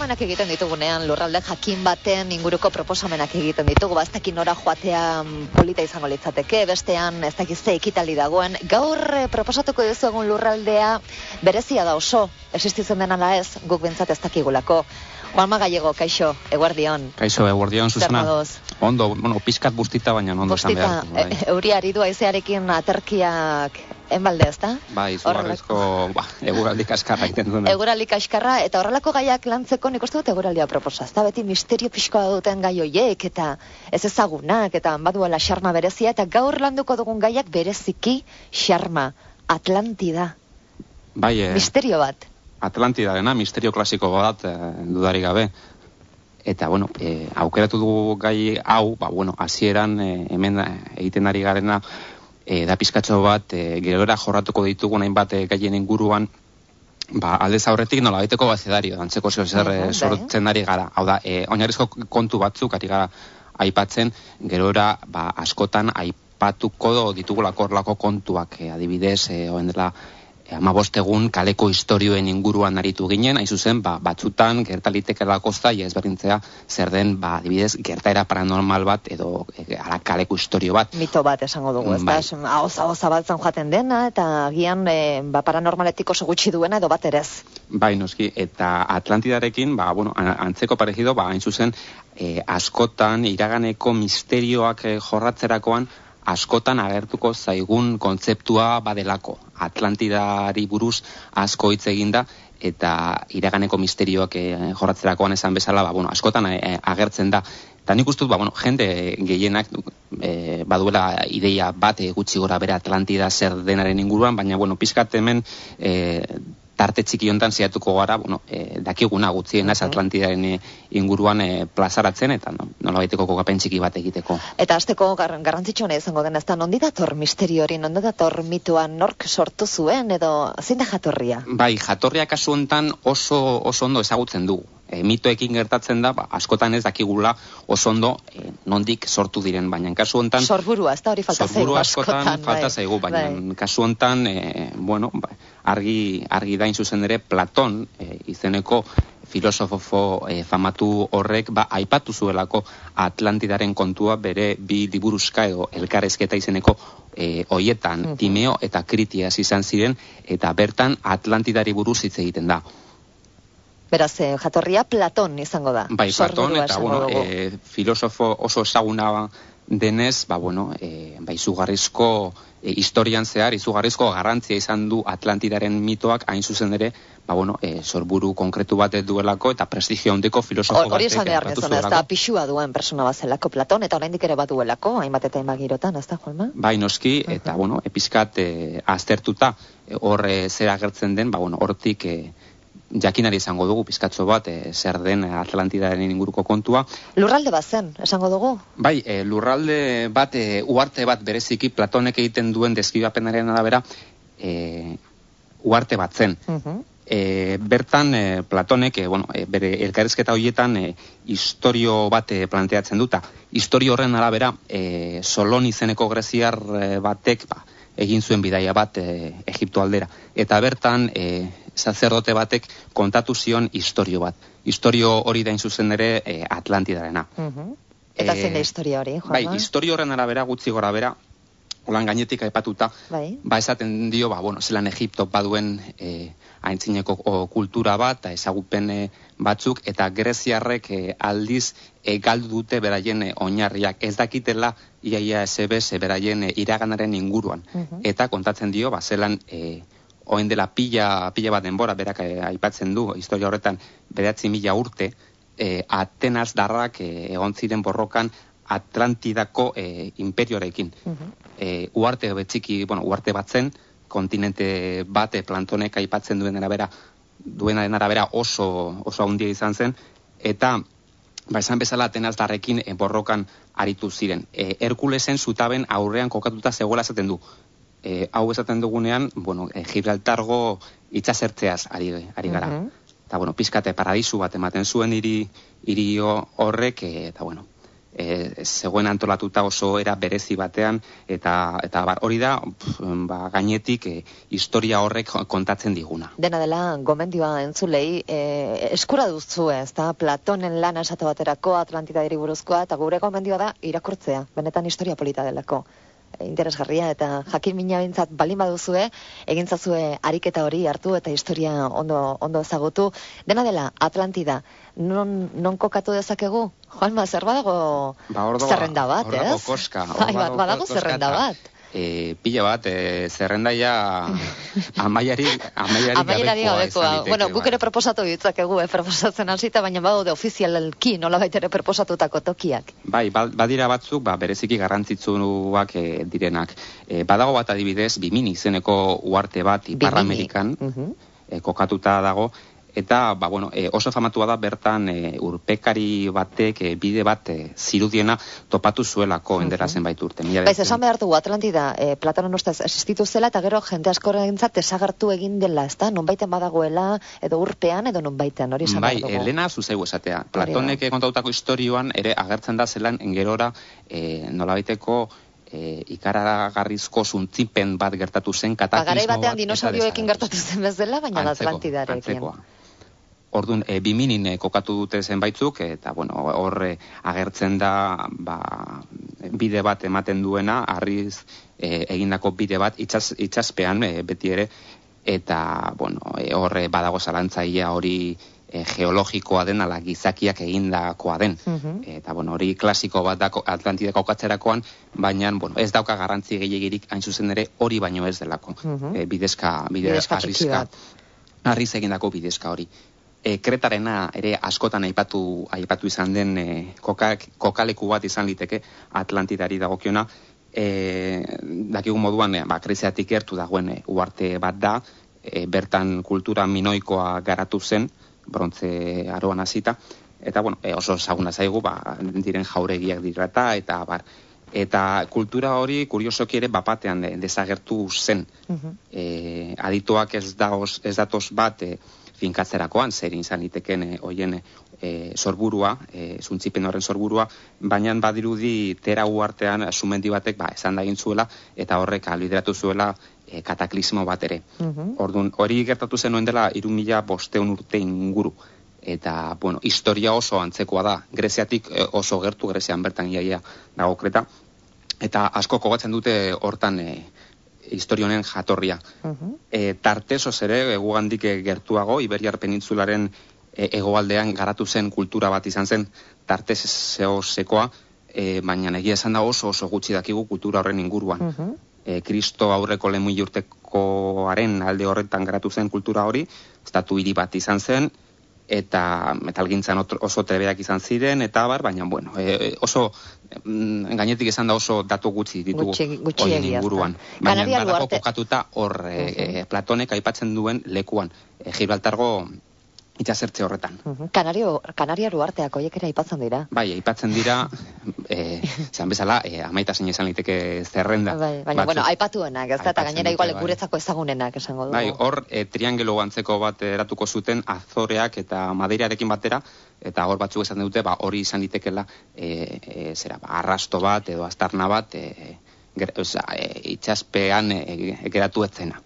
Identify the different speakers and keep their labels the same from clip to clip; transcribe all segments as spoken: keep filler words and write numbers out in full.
Speaker 1: proposamenak egiten ditugunean, lurralde jakin baten inguruko proposamenak egiten ditugu, ez dakit nora joatea polita izango litzateke, bestean ez dakit ze ekitaldi dagoen. Gaur eh, proposatuko duzu egun lurraldea berezia da oso, existitzen den ala ez, guk bintzat ez dakigulako. Juanma Gallego, kaixo, eguerdion.
Speaker 2: Kaixo, eguerdion, Susana.
Speaker 1: Zer
Speaker 2: Ondo, bueno, pizkat bustita, baina ondo esan behar.
Speaker 1: Bustita, e, euri aridu aizearekin aterkiak enbalde, ez da?
Speaker 2: Bai, izugarrizko, ba, eguraldi kaskarra egiten duen.
Speaker 1: Eguraldi kaskarra, eta horrelako gaiak lantzeko nik uste dut eguraldia proposa. Ez da beti misterio pixkoa duten gai hoiek, eta ez ezagunak, eta baduela xarma berezia, eta gaur landuko dugun gaiak bereziki xarma, Atlantida.
Speaker 2: Bai, eh,
Speaker 1: misterio bat.
Speaker 2: Atlantidarena, misterio klasiko bat, eh, dudarik gabe. Eta, bueno, eh, aukeratu dugu gai hau, ba, bueno, hasieran eh, hemen egiten ari garena, eh, da pizkatxo bat, eh, gerora jorratuko ditugu nahin bat eh, gaien inguruan, ba, aldez aurretik nola baiteko bazedario, dantzeko zeo zer eh, sortzen ari gara. Hau da, eh, oinarrizko kontu batzuk ari gara aipatzen, gerora, ba, askotan aipatuko ditugulako horlako kontuak, eh, adibidez, eh, oen dela, hamabost egun kaleko istorioen inguruan aritu ginen, hain zuzen, ba, batzutan gertalitekelako zaila ezberdintzea zer den, ba, adibidez, gertaera paranormal bat edo e, ala kaleko istorio bat.
Speaker 1: Mito bat esango dugu, ez
Speaker 2: bai.
Speaker 1: da, ahoza zabaltzen joaten dena, eta agian e, ba, paranormaletik oso gutxi duena edo bat erez.
Speaker 2: Bai, noski, eta Atlantidarekin, ba, bueno, antzeko parejido, ba, hain zuzen, e, askotan iraganeko misterioak e, jorratzerakoan, askotan agertuko zaigun kontzeptua badelako. Atlantidari buruz asko hitz eginda eta iraganeko misterioak eh, jorratzerakoan esan bezala, ba, bueno, askotan eh, agertzen da. Eta nik ustut, ba, bueno, jende gehienak eh, baduela ideia bat eh, gutxi gora bere Atlantida zer denaren inguruan, baina, bueno, pizkat hemen eh, tarte txiki hontan ziatuko gara, bueno, eh, dakiguna gutxiena ez Atlantidaren eh, inguruan eh, plazaratzen, eta no, nola baiteko kokapen txiki bat egiteko.
Speaker 1: Eta hasteko gar, garrantzitsuena izango den, ez da, nondi dator misterio hori, nondi dator mituan, nork sortu zuen, edo zein da jatorria?
Speaker 2: Bai, jatorria kasu hontan oso, oso ondo ezagutzen dugu. E, mitoekin gertatzen da, ba, askotan ez dakigula oso ondo e, nondik sortu diren, baina kasu hontan...
Speaker 1: Sorburua, ez da hori falta zaigu askotan.
Speaker 2: Askotan falta zaigu, baina bai. Kasu hontan, e, bueno, ba, argi, argi dain zuzen ere, Platon, e, izeneko filosofo e, famatu horrek, ba, aipatu zuelako Atlantidaren kontua bere bi liburuzka edo elkarrezketa izeneko e, hoietan, uh-huh. Timeo eta Kritias izan ziren, eta bertan Atlantidari buruz hitz egiten da.
Speaker 1: Beraz, eh, jatorria Platon izango da.
Speaker 2: Bai, Platon, eta, bueno, e, filosofo oso ezaguna denez, ba, bueno, e, ba, izugarrizko e, historian zehar, izugarrizko garrantzia izan du Atlantidaren mitoak, hain zuzen ere, ba, bueno, e, sorburu konkretu bat duelako, eta prestigio handiko filosofo batek.
Speaker 1: Hori esan behar nezona, ez da pixua duen persona bat zelako Platon, eta oraindik ere bat duelako, hainbat eta hainbat girotan, ez da, Juanma?
Speaker 2: Bai, noski, eta, uh-huh. bueno, epizkat e, aztertuta, hor e, zer agertzen den, ba, bueno, hortik... E, jakinari izango dugu pizkatxo bat e, zer den Atlantidaren inguruko kontua.
Speaker 1: Lurralde bat zen, esango dugu?
Speaker 2: Bai, e, lurralde bat, e, uarte bat bereziki Platonek egiten duen deskribapenaren arabera e, uarte bat zen. Uh-huh. e, bertan e, Platonek e, bueno, e, bere elkarrizketa horietan e, historio bat e, planteatzen duta. Historio horren arabera e, Solon izeneko greziar e, batek ba, egin zuen bidaia bat e, Egipto aldera. Eta bertan e, sacerdote batek kontatu zion historio bat. Historio hori da zuzen ere e, Atlantidarena.
Speaker 1: Uh-huh. Eta e, zein da historia hori, Juanma?
Speaker 2: Bai, historio horren arabera, gutxi gora bera, holan gainetik aipatuta, bai. Ba esaten dio, ba, bueno, zelan Egipto baduen e, aintzineko o, kultura bat, ezagupen e, batzuk, eta greziarrek e, aldiz e, galdu dute beraien e, oinarriak. Ez dakitela iaia esebez e, beraien e, iraganaren inguruan. Uh-huh. Eta kontatzen dio, ba, zelan... E, oen dela pila, pila bat denbora, berak eh, aipatzen du, historia horretan, beratzi mila urte, eh, Atenas darrak eh, egon ziren borrokan Atlantidako eh, imperiorekin. Uh-huh. eh, uarte betxiki, bueno, uarte bat zen, kontinente bat, eh, Plantonek aipatzen duen arabera, duenaren arabera oso, oso handia izan zen, eta ba, esan bezala Atenas darrekin eh, borrokan aritu ziren. Eh, Herkulesen zutaben aurrean kokatuta zegoela esaten du. E, hau esaten dugunean, bueno, e, Gibraltargo itxasertzeaz ari, ari gara. Uh-huh. Eta, bueno, pizkate paradisu bat ematen zuen hiri, hiri horrek, e, eta, bueno, e, zegoen antolatuta oso era berezi batean, eta, eta bar, hori da, pf, ba, gainetik e, historia horrek kontatzen diguna.
Speaker 1: Dena dela, gomendioa entzulei, e, eskura duzu ez da, Platonen lana esate baterako, Atlantidari buruzkoa, eta gure gomendioa da irakurtzea, benetan historia polita delako. Interesgarria eta jakin mina bintzat balin baduzue, egintzazue ariketa hori hartu eta historia ondo, ondo ezagutu. Dena dela, Atlantida, non, non kokatu dezakegu? Juanma, zer badago
Speaker 2: ba, ordo,
Speaker 1: zerrenda bat,
Speaker 2: ordo,
Speaker 1: ez?
Speaker 2: Ordo koska.
Speaker 1: Bai, bat, badago zerrenda bat.
Speaker 2: E, pila bat, e, zerrendaia amaiari, amaiari,
Speaker 1: amaiari gabekoa. Bueno, guk ere
Speaker 2: bai.
Speaker 1: proposatu ditzakegu, eh, proposatzen hasita, baina badaude ofizialki nola baitere proposatutako tokiak.
Speaker 2: Bai, badira batzuk, ba, bereziki garrantzitsuak e, direnak. E, badago bat adibidez, Bimini izeneko uarte bat, Ipar Amerikan, uh-huh. e, kokatuta dago, eta, ba, bueno, e, oso famatua da bertan e, urpekari batek e, bide bat e, zirudiena topatu zuelako endera uh-huh. zenbait urte.
Speaker 1: Baiz, esan behar dugu Atlantida, e, Platonon ustez existitu zela, eta gero jende askorentzat desagertu egin dela, ez da? Nonbaiten badagoela, edo urpean, edo nonbaiten, hori esan behar dugu.
Speaker 2: Bai, Elena zuzegu esatea. Platonek kontautako istorioan ere agertzen da zelan engerora e, nolabaiteko E, ikaragarrizko zuntzipen bat gertatu zen, kataklizmo bat.
Speaker 1: Garai batean dinosaurioekin gertatu zen bezala, baina Atlantidarekin.
Speaker 2: Orduan, e, Biminin e, kokatu dute zenbaitzuk, eta bueno, hor agertzen da ba, bide bat ematen duena, harriz e, egindako bide bat, itxas, itxaspean e, beti ere, eta bueno, e, hor badago zalantzaia hori E, geologikoa den, ala gizakiak egindakoa den. Uh-huh. Eta, bueno, hori klasiko bat da Atlantida kokatzerakoan, baina, bueno, ez dauka garrantzi gehiagirik hain zuzen ere hori baino ez delako. Uh-huh. E, bidezka, bidezka, bidezka harriz egindako bidezka hori. E, Kretarena ere askotan aipatu, aipatu izan den e, kokak, kokaleku bat izan liteke Atlantidari dagokiona. E, dakigun moduan, e, ba, Greziatik gertu dagoen e, uarte bat da, e, bertan kultura minoikoa garatu zen, brontze aroan hasita, eta bueno, e, oso ezaguna zaigu, ba, diren jauregiak dirata, eta bar, eta kultura hori kuriosoki ere bapatean de, desagertu zen. Uh-huh. E, adituak ez, daoz, ez datoz bat e, finkatzerakoan, zer izan liteken e, oien e, sorburua, e, zuntzipen horren sorburua, baina badirudi tera uartean sumendi batek ba, esan da egin zuela, eta horrek albideratu zuela E, kataklismo bat ere. Uh-huh. Orduan, hori gertatu zenuen dela hiru mila bostehun urte inguru. Eta, bueno, historia oso antzekoa da. Greziatik e, oso gertu, Grezian bertan iaia dago Kreta. Eta asko kogatzen dute hortan e, historionen jatorria. Uh-huh. E, tartesoz ere, gugandik gertuago, Iberiar penintzularen e, egoaldean garatu zen kultura bat izan zen, tarteseosekoa, e, baina egia esan da oso oso gutxi dakigu kultura horren inguruan. Uh-huh. E, Kristo aurreko lemui urtekoaren alde horretan garatu zen kultura hori, estatu hiri bat izan zen, eta metalgintzan oso trebeak izan ziren, eta bar, baina bueno, e, oso mm, gainetik izan da oso datu gutxi ditugu horien inguruan. Baina badago kokatuta hor e, uh-huh. e, Platonek aipatzen duen lekuan, e, Gibraltargo itxasertze horretan.
Speaker 1: Uh-huh. Kanario, Kanariaru arteak horiek ere aipatzen dira.
Speaker 2: Bai, aipatzen dira, e, zan bezala, e, amaita zein esan liteke zerrenda.
Speaker 1: Bai, baina, bueno, aipatuenak, ez da, eta gainera igual bai. Guretzako ezagunenak esango dugu.
Speaker 2: Bai, hor, e, triangelo antzeko bat eratuko zuten Azoreak eta Madeirarekin batera, eta hor batzuk esan dute, ba, hori izan litekela, e, e, zera, ba, arrasto bat edo aztarna bat, e, ger, oza, e, itxaspean e, geratu etzena.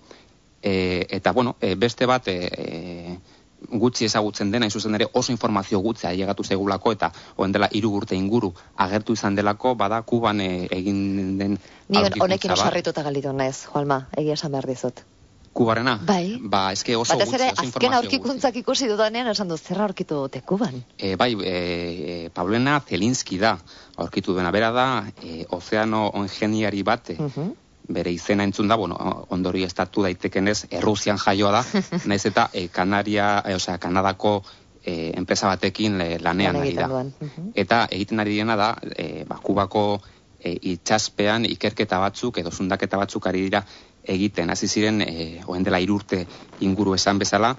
Speaker 2: E, eta, bueno, e, beste bat, e, gutxi ezagutzen dena, zuzen ere oso informazio gutxea llegatu zegulako, eta oen dela hiru urte inguru agertu izan delako, bada Kuban e, egin den
Speaker 1: ni honekin osarrituta galitu naiz, Juanma, egia esan behar dizut.
Speaker 2: Kubarena?
Speaker 1: Bai.
Speaker 2: Ba, eske oso
Speaker 1: gutxi,
Speaker 2: oso informazio
Speaker 1: gutxi. Azken aurkikuntzak ikusi dudanean esan dut, zerra aurkitu dute Kuban?
Speaker 2: E, bai, e, Paulena Zelinski da, aurkitu duena, bera da, e, ozeano ingeniari bat, uh-huh. bere izena entzun da, bueno, ondori estatu daitekenez, Errusian jaioa da, naiz eta e, Kanaria, e, osea, Kanadako e, enpresa batekin e, lanean ari da. Uh-huh. Eta egiten ari dena da, e, ba, Kubako e, itxaspean ikerketa batzuk, edo zundaketa batzuk ari dira egiten, hasi ziren, e, oen dela irurte inguru esan bezala,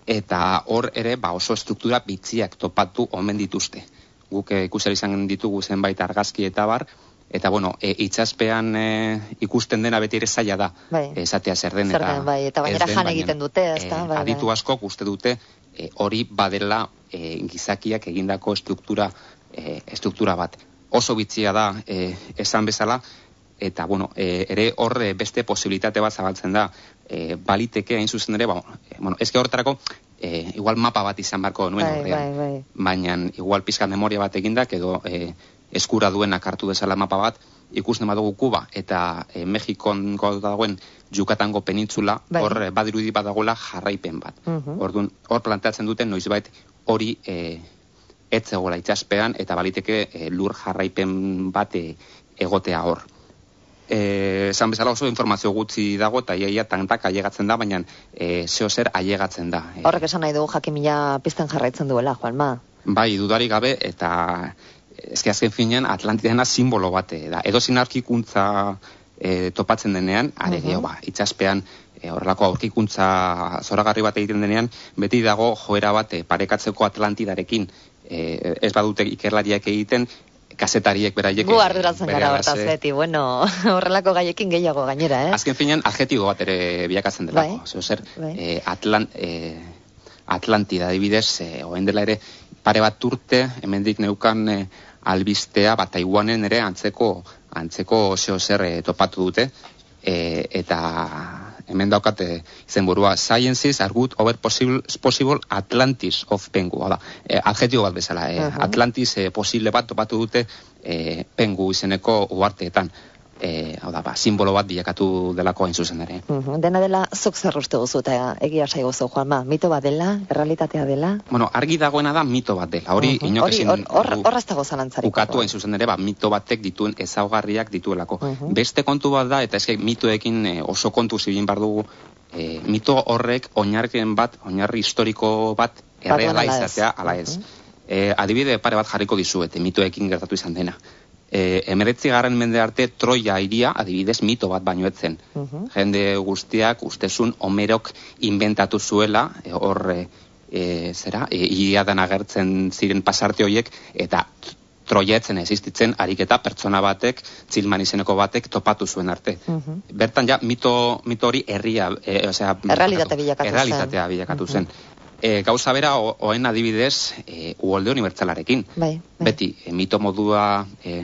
Speaker 2: eta hor ere, ba, oso struktura bitziak topatu omen dituzte. Guk e, ikusari izan ditugu zenbait argazki eta bar, eta, bueno, e, itxaspean e, ikusten dena beti ere zaila da, bai. Esatea zer den.
Speaker 1: Zer den, bai, eta baina jan egiten dute, ez da?
Speaker 2: E, aditu askok uste dute e, hori badela e, gizakiak egindako estruktura, e, estruktura bat. oso bitxia da e, esan bezala, eta, bueno, e, ere horre beste posibilitate bat zabaltzen da, e, baliteke hain zuzen ere, ba, e, bueno, ezke horretarako, e, igual mapa bat izan barko nuen
Speaker 1: bai,
Speaker 2: horrean,
Speaker 1: bai, bai.
Speaker 2: baina igual pizkat memoria bat egindak, edo e, eskura duenak hartu dezala mapa bat, ikusten badugu Kuba eta e, Mexikon dagoen Yucatango penintzula, bai. Hor badirudi badagoela jarraipen bat. Uh-huh. Orduan, hor planteatzen duten noizbait hori e, etzegoela itxaspean, eta baliteke e, lur jarraipen bat e, egotea hor. Esan bezala oso informazio gutxi dago, eta iaia tantak ailegatzen da, baina e, zeo zer ailegatzen da.
Speaker 1: Horrek esan nahi dugu jakimila pizten jarraitzen duela, Juanma.
Speaker 2: Bai, dudarik gabe, eta ezke azken finean Atlantidena simbolo bate da. Edo aurkikuntza e, topatzen denean, are gehiago, uh-huh. ba, itxaspean e, horrelako aurkikuntza zoragarri bat egiten denean, beti dago joera bat e, parekatzeko Atlantidarekin. E, ez badute ikerlariak egiten, kazetariek beraiek...
Speaker 1: Gu arduratzen gara hortaz beti, bueno, horrelako gaiekin gehiago gainera, eh?
Speaker 2: Azken finean, adjetibo bat ere bilakatzen delako. Bai, zer, bai. E, Atlant, e, Atlantida, adibidez, e, oen dela ere, pare bat urte, hemendik neukan e, albistea, bat Taiwanen ere antzeko, antzeko zeo zer e, topatu dute, e, eta hemen daukat e, izen burua, Sciences are good over possible, possible Atlantis of Pengu, da, e, adjetibo bat bezala, e, uh-huh. Atlantis e, posible bat topatu dute e, Pengu izeneko uarteetan. E, hau da, ba, simbolo bat bilakatu delako hain zuzen ere.
Speaker 1: Uh-huh. Dena dela, zuk zer uste guzu eta egia saiguzu, Juanma, mito bat dela, errealitatea dela?
Speaker 2: Bueno, argi dagoena da mito bat dela, hori uh-huh. inok ezin...
Speaker 1: Horraz dago zalantzarik.
Speaker 2: Ukatu hain zuzen ere, ba, mito batek dituen ezaugarriak dituelako. Uh-huh. Beste kontu bat da, eta eske mitoekin e, oso kontu zibin bar dugu, e, mito horrek oinarrien bat, oinarri historiko bat erreala izatea, ala ez. Uh-huh. e, adibide pare bat jarriko dizuete, mitoekin gertatu izan dena. E, emeretzi garren mende arte Troia hiria adibidez mito bat baino etzen. Uh-huh. Jende guztiak ustezun Homerok inventatu zuela, e, hor e, e, zera, e, iriadan agertzen ziren pasarte horiek, eta Troia etzen existitzen ariketa pertsona batek, Txilman izeneko batek topatu zuen arte. Uh-huh. Bertan ja mito, mito hori herria, e, osea,
Speaker 1: errealitate bilakatu zen.
Speaker 2: Errealitatea bilakatu zen. Uh-huh. E, gauza bera, oen adibidez, e, uholde unibertsalarekin.
Speaker 1: Bai, bai.
Speaker 2: Beti, e, mito modua e,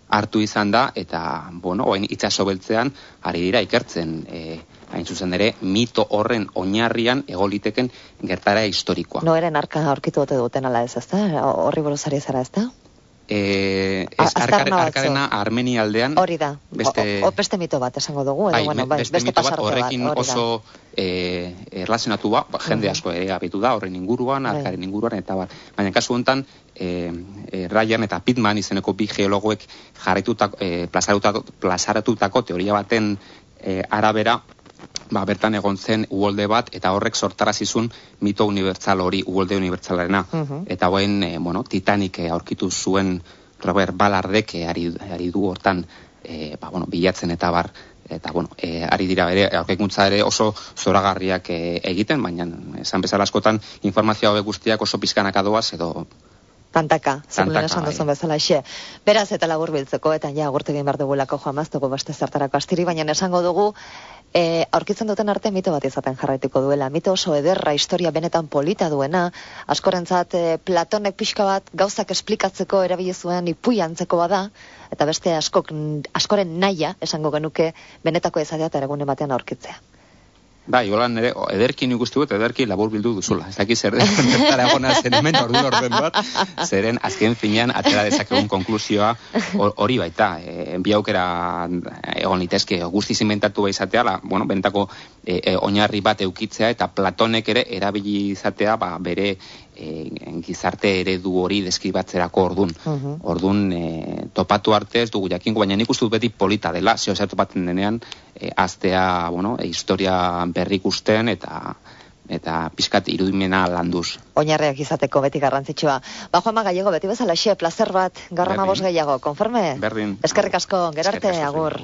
Speaker 2: hartu izan da, eta, bueno, oen itxaso beltzean, ari dira ikertzen, e, hain zuzen ere, mito horren oinarrian egoliteken gertara historikoa.
Speaker 1: Noeren arka aurkitu dute duten ala ez, ezta? Horri buruzari zara, ezta?
Speaker 2: Eh, ez arkar, arkarena Armenia aldean
Speaker 1: hori da, beste, o, o beste mito bat esango dugu edo,
Speaker 2: bai,
Speaker 1: bueno, bai,
Speaker 2: beste,
Speaker 1: beste
Speaker 2: mito bat horrekin bat, oso eh, erlazionatu ba, jende asko ere abitu da horren inguruan, arkaren inguruan eta bar. Baina kasu honetan eh, eh, Ryan eta Pittman izeneko bi geologoek jarraitutako eh, plazaratutako, plazaratutako teoria baten eh, arabera, ba, bertan egon zen uholde bat, eta horrek sortarazizun mito unibertsal hori, uholde unibertsalarena. Uh-huh. Eta hoen, e, bueno, Titanic aurkitu zuen Robert Ballardek e, ari, ari du hortan, e, ba, bueno, bilatzen eta bar, eta, bueno, e, ari dira ere, aurkikuntza ere oso zoragarriak e, egiten, baina esan bezala askotan informazio hauek guztiak oso pizkanaka doaz, edo...
Speaker 1: Tantaka, zekulen esan duzun bezala xe. Beraz eta labur biltzeko, eta ja, agurtu egin behar dugulako Juan Maztuko beste zertarako astiri, baina esango dugu, e, aurkitzen duten arte mito bat izaten jarraituko duela. Mito oso ederra, historia benetan polita duena, askorentzat e, Platonek pixka bat gauzak esplikatzeko erabili zuen ipui antzeko bada, eta beste askok, askoren naia, esango genuke, benetako ezatea eta egunen batean aurkitzea.
Speaker 2: Bai, holan ere, ederkin ikustu dut, ederki labur bildu duzula. Ez daki zer dara egona zen hemen ordu orden bat, zeren azken finean atera dezakegun konklusioa hori baita. E, bi aukera egon litezke guztiz inventatu izatea, la, bueno, bentako e, e, oinarri bat eukitzea, eta Platonek ere erabili izatea ba, bere e, gizarte eredu hori deskribatzerako ordun. Uh-huh. Ordun e, topatu arte ez dugu jakinko, baina nik uste dut beti polita dela, zeo zer topatzen denean, e, aztea, bueno, e, historia berrik usten eta eta pizkat irudimena landuz.
Speaker 1: Oinarriak izateko beti garrantzitsua. Ba, Juanma Gallego, beti bezala xe, placer bat, garrama bost gehiago, konforme?
Speaker 2: Berdin.
Speaker 1: Eskerrik asko, gerarte, agur.